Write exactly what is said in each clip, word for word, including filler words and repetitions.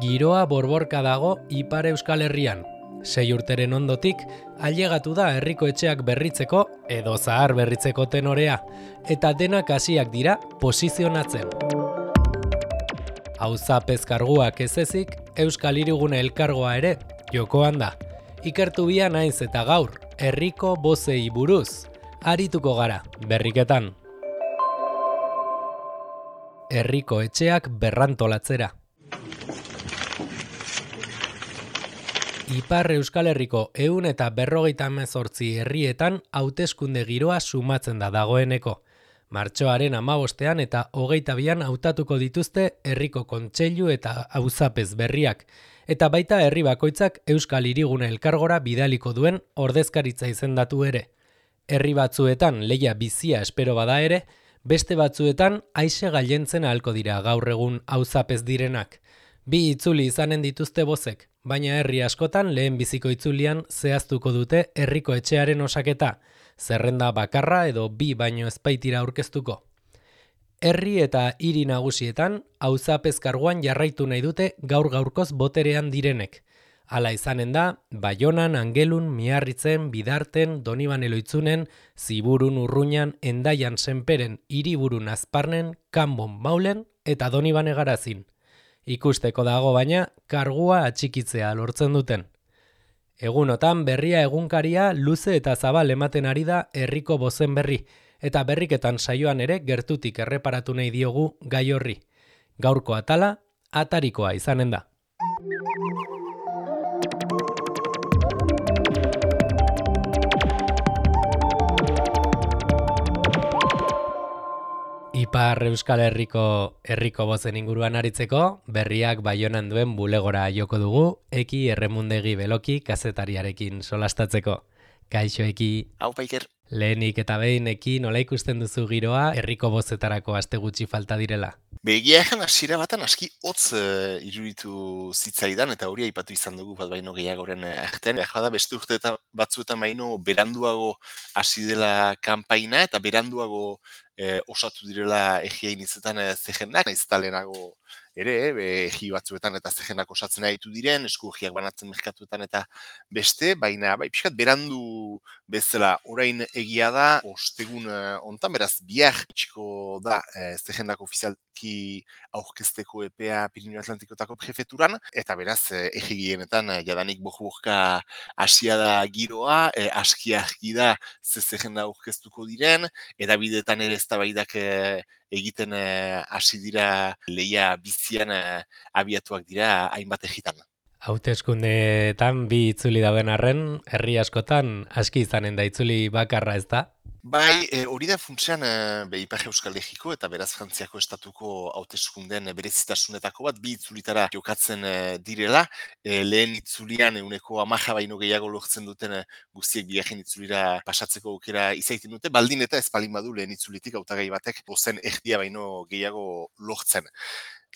Giroa borborka dago Ipar Euskal Herrian. Sei urteren ondotik, ailegatu da herriko etxeak berritzeko edo zahar berritzeko tenorea, eta denak hasiak dira posizionatzen. Auzapez karguak ez ezik, Euskal Hirigune elkargoa ere jokoan da. Ikertu bia naiz eta gaur, herriko bozei buruz, arituko gara, berriketan. Herriko etxeak berrantolatzera. Ipar Euskal Herriko ehun eta berrogeita hemezortzi herrietan hauteskunde giroa sumatzen da dagoeneko. Martxoaren hamabostean eta hogeita bian hautatuko dituzte herriko kontseilu eta auzapez berriak, eta baita herri bakoitzak Euskal Hirigune elkargora bidaliko duen ordezkaritza izendatu ere. Herri batzuetan lehia bizia espero bada ere, beste batzuetan aise gailentzen ahalko dira gaur egun auzapez direnak. Bi itzuli izanen dituzte bozek, baina herri askotan lehen biziko itzulian zehaztuko dute herriko etxearen osaketa, zerrenda bakarra edo bi baino ezpaitira aurkeztuko. Herri eta hiri nagusietan auzapez karguan jarraitu nahi dute gaur gaurkoz boterean direnek. Hala izanen da, Baionan, Angelun, Miarritzen, Bidarten, Donibane Loitzunen, Ziburun, Urruñan, Endaian, Senperen, Hiriburun, Azparnen, Kanbon, Maulen eta Donibane Garazin. Ikusteko dago baina, kargua atxikitzea lortzen duten. Egunotan berria egunkaria luze eta zabal ematen ari da herriko bozen berri, eta berriketan saioan ere gertutik erreparatu nahi diogu gai horri. Gaurko atala, atarikoa izanen da. Ipar Euskal Herriko herriko bozen inguruan aritzeko, berriak Baionan duen bulegora joko dugu, Eki Erremundegi Beloki kazetariarekin solastatzeko. Kaixo Eki. Hau Paiker. Lehenik eta behin Eki, nola ikusten duzu giroa herriko bozetarako aste gutxi falta direla? Begia egan hasiera batan aski hotz uh, iruditu zitzaidan, eta hori aipatu izan dugu bat baino gehiagoren artean. Eja da beste urte eta batzuetan baino beranduago hasi dela kanpaina, eta beranduago eh, osatu direla egiain izetan eh, zehendak, nahiz eta lehenago ere, eh, egi batzuetan eta zehenak osatzen ditu diren, esku egiak banatzen merkatuetan eta beste, baina bai, pixkat berandu bezala orain egia da, ostegun eh, ontan, beraz bihar txiko da eh, zehendak ofizialki aurkezteko epea Pirinio Atlantikotako prefeturan, eta beraz eh, egigienetan eh, jadanik boh-bohka hasia da giroa, eh, aski argi da ze zehenda aurkeztuko diren, eta bideetan ere eztabaidak eh, egiten eh, hasi dira lehia bizian eh, abiatuak dira hainbat egitan. Hauteskundeetan bi itzuli dauden arren, herri askotan aski izanen da itzuli bakarra ez da? Bai, e, hori da funtsean e, be, Ipar Euskal Herriko eta beraz Frantziako estatuko hauteskundeen berezitasunetako bat bi itzulitara jokatzen e, direla. E, lehen itzulian euneko hamaika baino gehiago lortzen duten e, guztiek bigarren itzulira pasatzeko aukera izaiten dute, baldin eta ez palin badu lehen itzulitik hautagai batek bozen erdia baino gehiago lortzen.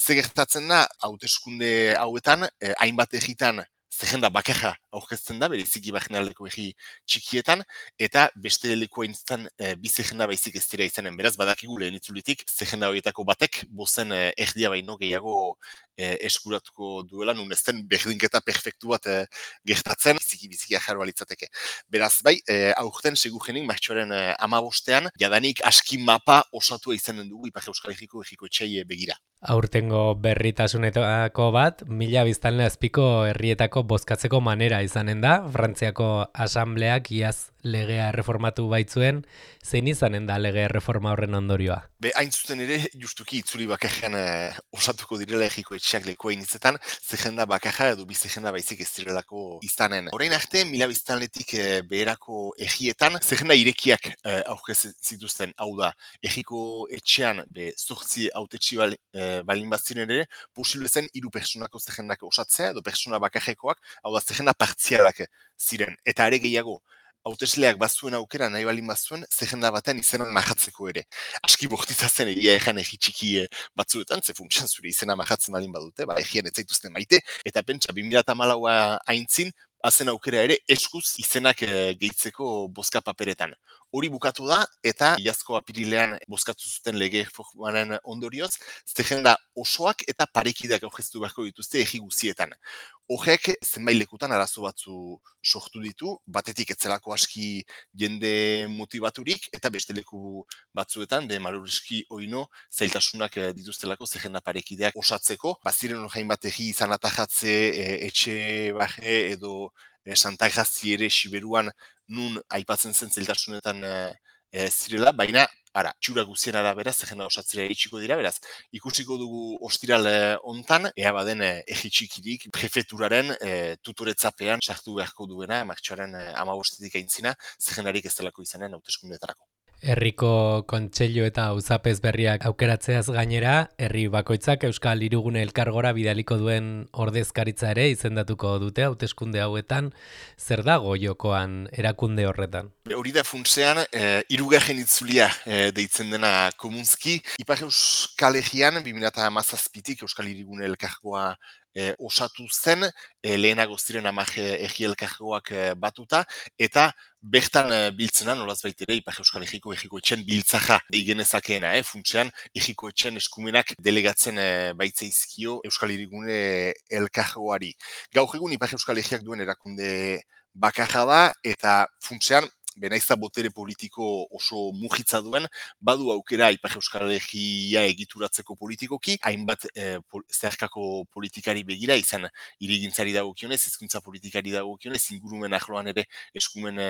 Ze gertatzen da, hauteskunde hauetan, eh, hainbat egitan zehenda bakarra aurkezten da, bereziki barnealdeko egi txikietan, eta beste leku haintztan eh, bi zehenda baizik ez dira izanen. Beraz, badakigu lehen itzulitik, zehenda horietako batek, bozen eh, erdia baino gehiago eh, eskuratuko duela, nun ezten berdinketa perfektu bat eh, gertatzen, biziki biziki ajarroa litzateke. Beraz, bai, eh, aurten segurenik martxoaren eh, amabostean, jadanik aski mapa osatua izanen dugu Ipar Euskal Herriko egiko etxai begira. Aurtengo berritasunetako bat, mila biztanle azpiko herrietako bozkatzeko manera izanen da, Frantziako asambleak iaz legea erreformatu baitzuen, zein izanen da legea erreforma horren ondorioa? Be, hain zuten ere, justuki itzuli bakarrean eh, osatuko direla egiko etxeak lekoa inizetan, zehenda bakarra edo bi zehenda baizik ez direlako izanen. Orain arte, mila biztanletik eh, beherako egietan, zehenda irekiak eh, aurkez zituzten, hau da, egiko etxean, be, zortzi autetxi bal, eh, balin baziren ere, posible zen hiru pertsonako zehendak osatzea, edo pertsona bakarrekoak, hau da, zehenda partzialak ziren, eta ere gehiago, hautesleak bazuen aukera nahi balin bazuen, zehenda batean izenan mahatzeko ere. Aski bortitza zen egia egan egi txiki batzuetan, ze funtsan zure izena mahatzen balin badute, ba egian ez zaituzten maite, eta pentsa bi mila hamalaua aintzin, bazen aukera ere eskuz izenak e, gehitzeko bozka paperetan. hori bukatu da, eta iazko apirilean bozkatu zuten lege reformaren ondorioz, zerrenda osoak eta parekideak aurkeztu beharko dituzte egi guzietan. Horrek zenbait lekutan arazo batzu sortu ditu, batetik etzelako aski jende motivaturik, eta beste leku batzuetan, de maluriski oino, zailtasunak dituztelako zerrenda parekideak osatzeko. Baziren horrein bat egi izan atajatze, etxe baje edo Santa Grazi ere Siberuan nun aipatzen zen zailtasunetan e, zirela, baina ara, txura guzien arabera zerrenda osatzera iritsiko dira, beraz, ikusiko dugu ostiral hontan, ea baden egi txikirik prefeturaren e, tutoretzapean sartu beharko duena, martxoaren hamabostetik aintzina, zerrendarik ez delako izanen hauteskundeetarako. Herriko kontseilu eta auzapez berriak aukeratzeaz gainera, herri bakoitzak Euskal Hirigune Elkargora bidaliko duen ordezkaritza ere izendatuko dute hauteskunde hauetan, zer dago jokoan erakunde horretan? Hori da funtsean, e, hirugarren itzulia e, deitzen dena komunzki. Ipar Euskal Herrian, bi mila hamazazpitik Euskal Hirigune Elkargoa e, osatu zen, e, lehenago ziren hamar herri elkargoak e, batuta, eta bertan e, biltzena, nolaz baitere, Ipar Euskal Herriko Herriko Etxen biltzaja deigenezakeena, eh? Funtsean, Herriko Etxen eskumenak delegatzen e, baitzeizkio Euskal Hirigune Elkargoari. Gaur egun Ipar Euskal Herriak duen erakunde bakarra da, eta funtsean, benaiza botere politiko oso mugitza duen, badu aukera Ipar Euskal Herria egituratzeko politikoki, hainbat e, pol, zeharkako politikari begira, izan hirigintzari dagokionez, hizkuntza politikari dagokionez, ingurumen arloan ere eskumen e,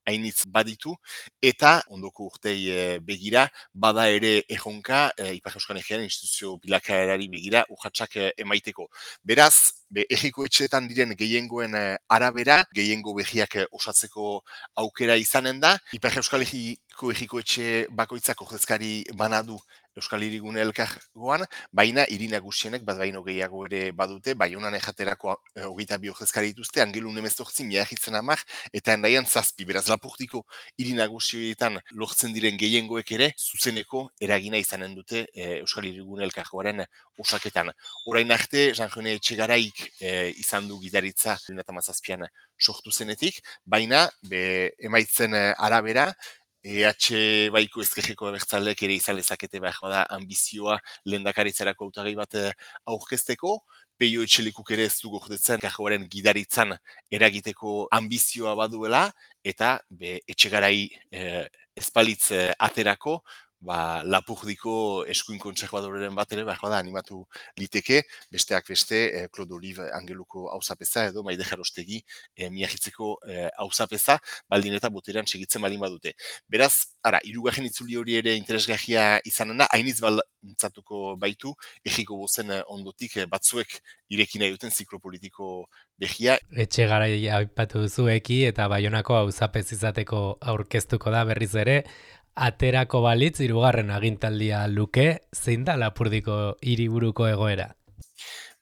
hainitz baditu, eta ondoko urtei e, begira, bada ere erronka e, Ipar Euskal Herriaren instituzio bilakaerari begira urratsak e, emaiteko. Beraz, be, herriko etxeetan diren gehiengoen e, arabera, gehiengo behiak e, osatzeko aukera izanen da, Ipar Euskal Herriko herriko etxe bakoitzak ordezkari banadu Euskal Hirigune Elkargoan, baina hiri nagusienek bat baino gehiago ere badute, Baionan ejaterako hogeita bi ordezkari dituzte, Angelun hemezortzi, Miarritzen hamar, eta Hendaian zazpi, beraz Lapurdiko hiri nagusietan lortzen diren gehiengoek ere, zuzeneko eragina izanen dute e, Euskal Hirigune Elkargoaren osaketan. Orain arte, Jean-René Etxegaraik e, izan du gidaritza bi mila hamazazpian sortu zenetik, baina be, emaitzen arabera, E H baiko ezkerreko abertzaleek ere izan lezakete behar da ambizioa lehendakaritzarako hautagai bat aurkezteko, Peio Etxelikuk ere ez du gordetzen kargoaren gidaritzan eragiteko ambizioa baduela, eta be, Etxegarai e, ezpalitz e, aterako, ba, Lapurdiko eskuin kontserbadoren bat ere behar da animatu liteke, besteak beste, e, Claude Olive Angeluko auzapeza edo Maide Jarostegi e, Miarritzeko e, auzapeza, baldin eta boterean segitzen baldin badute. Beraz, ara, hirugarren itzuli hori ere interesgarria izanen da, hainitz baltzatuko baitu, egiko bozen ondotik batzuek irekin nahi duten ziklo politiko behia. Etxegarai aipatu duzueki eta Baionako auzapez izateko aurkeztuko da berriz ere, aterako balitz hirugarren agintaldia luke, zein da Lapurdiko hiriburuko egoera?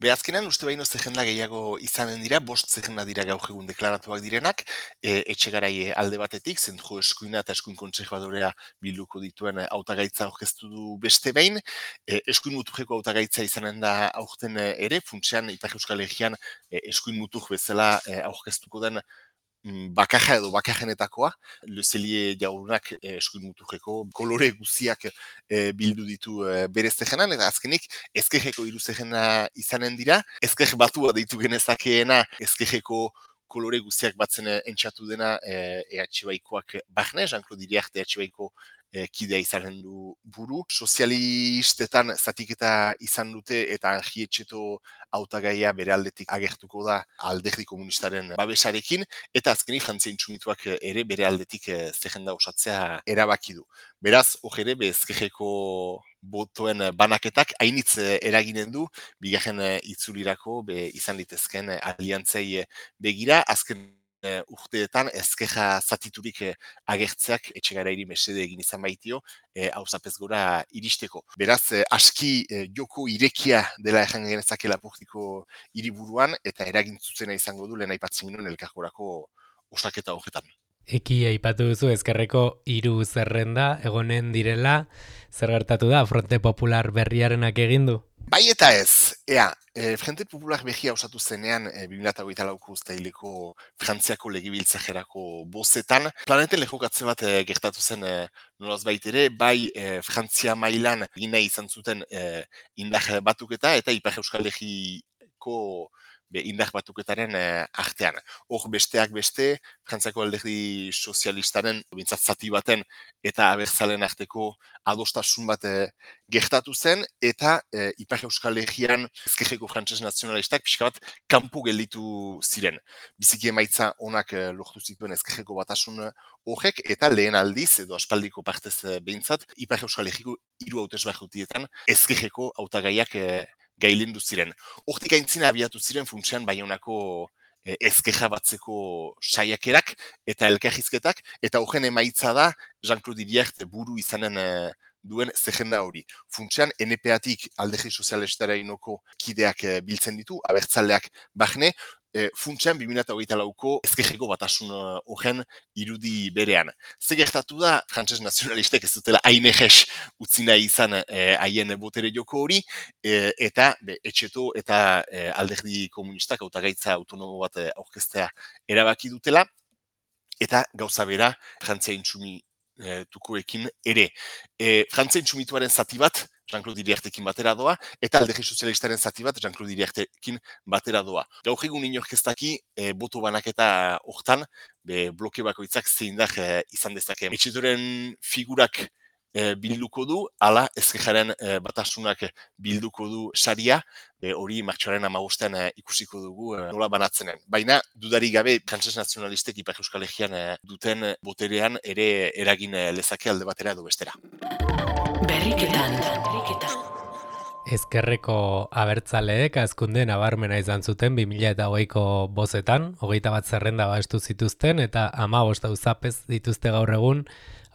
Be, azkenan, uste baino zerrenda gehiago izanen dira, bost zerrenda dira gaur egun deklaratuak direnak, e, Etxegarai alde batetik, zentro eskuina eta eskuin kontserbadorea bilduko dituen hautagaitza aurkeztu du beste behin, e, eskuin muturreko hautagaitza izanen da aurten ere, funtsean Ipar Euskal Herrian e, eskuin mutur bezala e, aurkeztuko den bakarra edo bakarrenetakoa, Lezelie jaunak e, eskuin muturreko kolore guziak e, bildu ditu e, bere zerrenan, eta azkenik ezkerreko hiru zerrena izanen dira, ezker batua deitu genezakeena ezkerreko kolore guziak batzen entxatu dena e, E H baikoak barne, Jean-Claude Iriarte E H baiko e, kidea izanen du buru. Sozialistetan zatiketa izan dute eta Angi Etxeto hautagaia bere aldetik agertuko da Alderdi Komunistaren babesarekin, eta azkenik Frantzia Intsumituak ere bere aldetik e, zerrenda osatzea erabaki du. Beraz, hor ere, ezkerreko botoen banaketak hainitz eraginen du, bigarren itzulirako be, izan litezken aliantzei begira, azken uh, urteetan ezkerra zatiturik uh, agertzeak Etxegarairi mesede egin izan baitio, hauzapez uh, gora iristeko. Beraz, uh, aski uh, joko irekia dela erran genezake Lapurdiko hiriburuan, eta eragintzuzena izango du lehen aipatzen ginen elkargorako osaketa horretan. Eki aipatu duzu ezkerreko hiru zerrenda egonen direla, zer gertatu da Fronte Popular berriarenak egin du? Bai eta ez, ea, e, Frente Popular behia osatu zenean e, bi mila hogeita lauko uztaileko Frantziako legebiltzajerako bozetan, planeten lehokatze bat e, gertatu zen e, nolaz baitere, bai e, Frantzia mailan egin nahi izan zuten e, indar batuketa eta Ipar Euskal Herriko be, indar batuketaren e, artean. Hor besteak beste, Frantziako alderdi sozialistaren, bintzat zati baten eta abertzalen arteko adostasun bat e, gertatu zen, eta e, Ipar Euskal Herrian ezkerreko frantses nazionalistak pixka bat kanpo gelditu ziren. Biziki emaitza onak e, lortu zituen ezkerreko batasun horrek, eta lehen aldiz, edo aspaldiko partez e, behintzat, Ipar Euskal Herriko hiru hautesbahutietan ezkerreko hautagaiak e, gailendu ziren. Hortik aintzina abiatu ziren funtsean Baionako e, ezkerra batzeko saiakerak eta elkarrizketak, eta horren emaitza da Jean-Claude Iriart buru izanen e, duen zerrenda hori. Funtsean, N P A-tik alderdi sozialistara inoko kideak e, biltzen ditu, abertzaleak bahne, e, funtsean bi mila hogeita lauko ezkerreko batasun horren irudi berean. Ze gertatu da, frantses nazionalistek ez dutela hain eges utzi nahi izan e, haien botere joko hori, e, eta be, etxeto eta e, alderdi komunistak hautagaitza autonomo bat e, aurkeztea erabaki dutela, eta gauza bera, Frantzia intsumi tukoekin ere. E, Frantzia intsumituaren zati bat, Jean-Claude Iriartekin batera doa, eta alderdi sozialistaren zati bat, Jean-Claude Iriartekin batera doa. Gaur egun inork ez daki, e, boto banaketa hortan, be, bloke bakoitzak zeindar e, izan dezake. Etxetoren figurak e, bilduko du, ala ezkerraren e, batasunak bilduko du saria, be, hori martxoaren hamabostean e, ikusiko dugu e, nola banatzenen. Baina, dudarik gabe, frantses nazionalistek Ipar Euskal Herrian e, duten boterean ere eragin e, lezake alde batera edo bestera. Berriketan, berriketan. Ezkerreko abertzaleek azkunde nabarmena izan zuten bi mila hogeiko bozetan, hogeita bat zerrenda babestu zituzten eta hamabost auzapez dituzte gaur egun,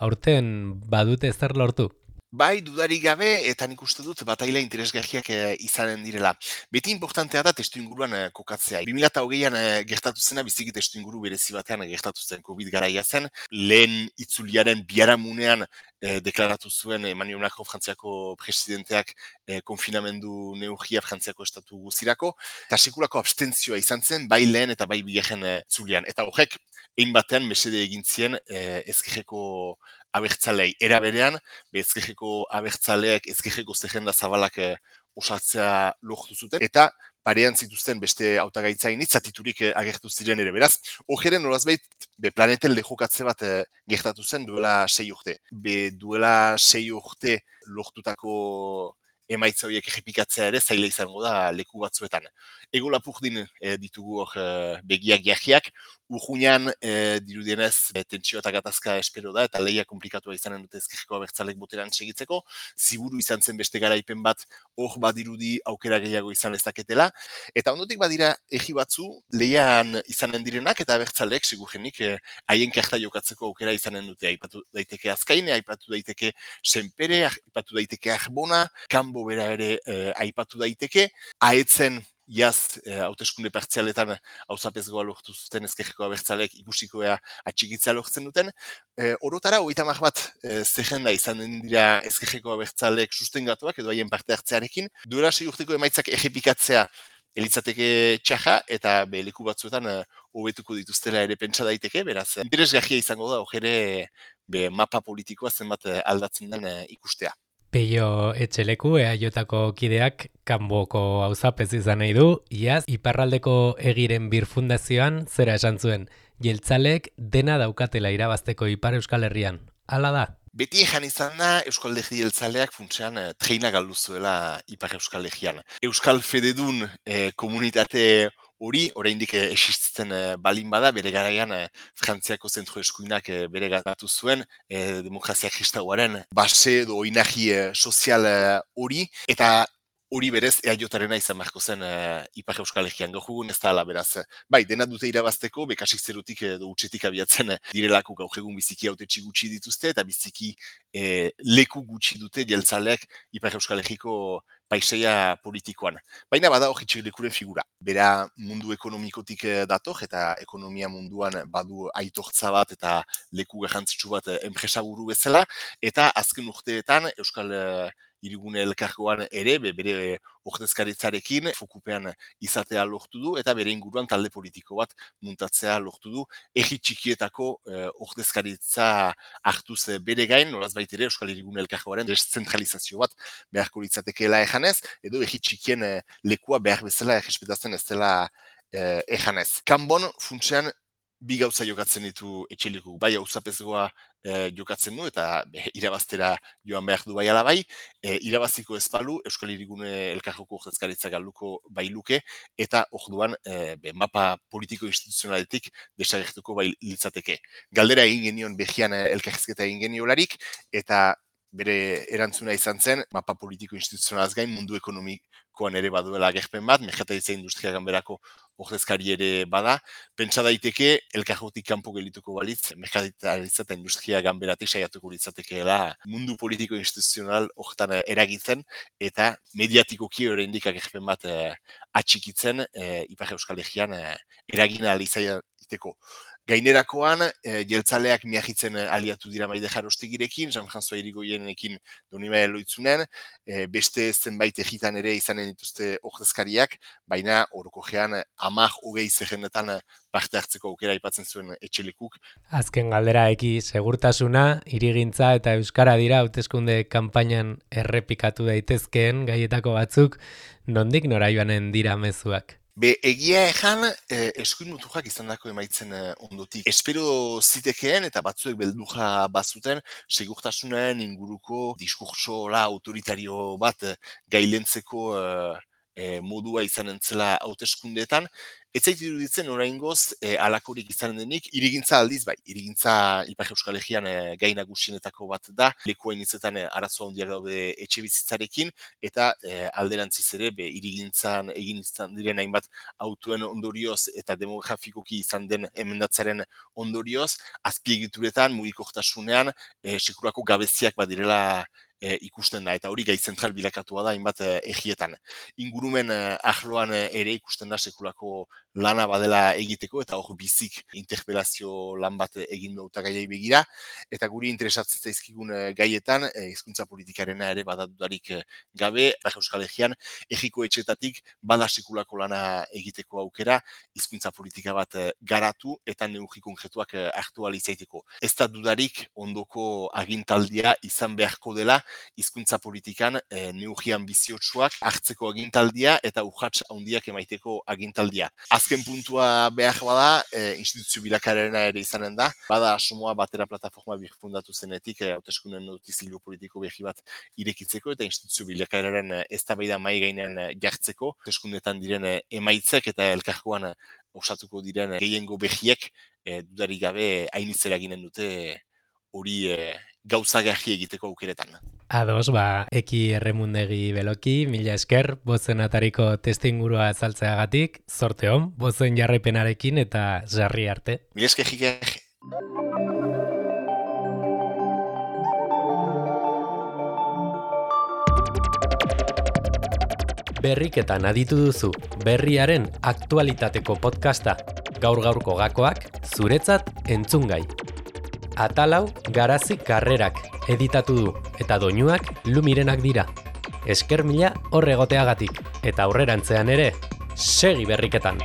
aurten badute zer lortu? Bai, dudarik gabe, eta nik uste dut bataila interesgarriak e, izanen direla. Beti importantea da testu inguruan e, kokatzea. bi mila hogeian e, gertatu zena, biziki testu inguru berezi batean e, gertatu zen COVID garaia zen. Lehen itzuliaren biharamunean e, deklaratu zuen Emmanuel Macron Frantziako presidenteak e, konfinamendu neurria Frantziako estatu guzirako, eta sekulako abstentzioa izan zen, bai lehen eta bai bigarren e, itzulian. Eta horrek, egin batean mesede egin zien e, ezkerreko abertzalei. Era berean, ezkerreko abertzaleak ezkerreko zerrenda zabalak e, osatzea lortu zuten, eta parean zituzten beste hautagaitzain itzatiturik e, agertu ziren ere. Beraz, hojeren nolazbait, be planeten lehokatze bat e, gertatu zen duela sei urte. Be duela sei urte lortutako emaitza horiek errepikatzea ere zaila izango da leku batzuetan. Ego lapurdin e, ditugu hor e, begiak jahiak, urruñan e, dirudienez e, tentsio eta gatazka espero da, eta lehia komplikatua izanen dute ezkerreko abertzalek boteran segitzeko, ziburu izan zen beste garaipen bat hor badirudi aukera gehiago izan lezaketela, eta ondotik badira egi batzu lehian izanen direnak, eta abertzalek segurenik e, haien karta jokatzeko aukera izanen dute, aipatu daiteke Azkaine, aipatu daiteke Senpere, aipatu daiteke Arbona, Kanbo bera ere e, aipatu daiteke, aetzen iaz hauteskunde e, partzialetan auzapezgoa lortu zuten ezkerreko abertzalek ikusikoa atxikitzea lortzen duten. E, orotara, hogeita hamar bat e, zerrenda izan dira ezkerreko abertzalek sustengatuak edo haien parte hartzearekin. Duela sei urteko emaitzak errepikatzea elitzateke txaja, eta be, leku batzuetan hobetuko dituztela ere pentsa daiteke, beraz, interesgarria izango da, hor be, mapa politikoa zenbat aldatzen den e, ikustea. Peio Etxeleku, E A Jotako kideak kanboko auzapez izan nahi du, iaz iparraldeko egiren birfundazioan zera esan zuen, jeltzalek dena daukatela irabazteko Ipar Euskal Herrian. Hala da? Beti ejan izan da Euskal Alderdi jeltzaleak funtsean eh, treina galdu zuela Ipar Euskal Herrian. Euskal Fededun eh, komunitate hori, oraindik eh, existitzen eh, balin bada, bere garaian eh, Frantziako zentro eskuinak eh, bere gatu zuen, eh, demokrazia kristauaren base edo oinarri eh, sozial hori, eh, eta hori berez E A J-arena izan beharko zen uh, Ipar Euskal Herrian gaur egun ez da ala beraz. Bai, dena dute irabazteko, bekasik zerutik edo utxetik abiatzen direlako gaur egun biziki hautetsi gutxi dituzte, eta biziki eh, leku gutxi dute jeltzaleak Ipar Euskal Herriko paisaia politikoan. Baina bada hori txilekuren figura. Bera mundu ekonomikotik dator, eta ekonomia munduan badu aitortza bat eta leku garrantzitsu bat enpresaburu bezala, eta azken urteetan Euskal Hirigune elkargoan ere, be, bere ordezkaritzarekin fokupean izatea lortu du, eta bere inguruan talde politiko bat muntatzea lortu du, herri txikietako eh, ordezkaritza hartuz bere gain, noraz baitere Euskal Hirigune elkargoaren deszentralizazio bat beharko litzatekeela ejanez, edo herri txikien eh, lekua behar bezala errespetatzen ez dela eh, ejanez. Kanbon funtsean bi gauza jokatzen ditu etxelikuk, bai auzapezgoa e, jokatzen du eta be, irabaztera joan behar du bai ala bai, e, irabaziko ezpalu Euskal Hirigune elkargoko ordezkaritza galduko bai luke, eta orduan e, be, mapa politiko instituzionaletik desagertuko bai litzateke. Galdera egin genion behian elkarrizketa egin geniolarik, eta bere erantzuna izan zen, mapa politiko instituzionalaz gain mundu ekonomikoan ere baduela agerpen bat, merkataritza industria ganberako ordezkari ere bada, pentsa daiteke elkargotik kanpo gelituko balitz, merkataritza eta industria ganberatik saiatuko litzatekeela mundu politiko instituzional horretan eragitzen, eta mediatikoki oraindik agerpen bat eh, atxikitzen eh, Ipar Euskal Herrian eh, eragina alizaiteko. Gainerakoan, e, jeltzaleak miagitzen aliatu dira Maide Jarostigirekin, Jean-François Irigoyenekin Donibane Loitzunen, e, beste zenbait egitan ere izanen dituzte ordezkariak, baina orokorrean hamar hogei zerrendetan parte hartzeko aukera aipatzen zuen etxelikuk. Azken galdera eki segurtasuna, hirigintza eta euskara dira hauteskunde kanpainan errepikatu daitezkeen gaietako batzuk, nondik nora joanen dira mezuak? Be, egia ejan, eh, eskuin muturrak izan dako emaitzen eh, ondotik. Espero zitekeen eta batzuek belduja bazuten, segurtasunaren inguruko diskurtsola autoritario bat eh, gailentzeko eh, eh, modua izan entzela hauteskundeetan. Ez zait iruditzen oraingoz eh, alakorik izan denik, irigintza aldiz bai, irigintza Ipar Euskal Herrian eh, gai nagusienetako bat da, lekuain izetan eh, arazo handiak daude etxe bizitzarekin, eta eh, alderantziz ere, be, irigintzan egin izan diren hainbat autoen ondorioz eta demografikoki izan den emendatzaren ondorioz, azpiegituretan, mugikortasunean, eh, sekurako gabeziak badirela E, ikusten da, eta hori gai zentral bilakatua da hainbat e, egietan. Ingurumen e, ahloan e, ere ikusten da sekulako lana badela egiteko, eta hor bizik interpelazio lan bat egin dauta gaiai begira, eta guri interesatzen zaizkigun e, gaietan, e, hizkuntza politikarena ere badadudarik e, gabe, Euskal Herrian, egiko etxetatik bada sekulako lana egiteko aukera, hizkuntza politika bat e, garatu, eta neurri konkretuak e, hartu ahal izaiteko. Ez da dudarik ondoko agintaldia izan beharko dela, hizkuntza politikan e, neurri anbiziotsuak hartzeko agintaldia eta urrats handiak emaiteko agintaldia. Azken puntua behar bada, e, instituzio bilakarena ere izanen da, bada asomoa batera plataforma birfundatu zenetik, e, hauteskunden notizio politiko berri bat irekitzeko eta instituzio bilakararen eztabaida mahai gainean jartzeko, hauteskundetan diren emaitzek eta elkargoan osatuko diren gehiengo berriek e, dudarik gabe hainitzera ginen dute hori e, gauzagarri egiteko aukeretan. Ados, ba, eki erremundegi beloki, mila esker, bozen atariko testingurua azaltzeagatik, zorte hon, bozen jarraipenarekin eta jarri arte. Mila esker jiker. Berriketan aditu duzu, berriaren aktualitateko podcasta, gaur-gaurko gakoak, zuretzat entzungai. Atalau Garazi Karrerak editatu du eta doinuak Lumirenak dira. Esker mila hor egoteagatik eta aurrerantzean ere segi berriketan.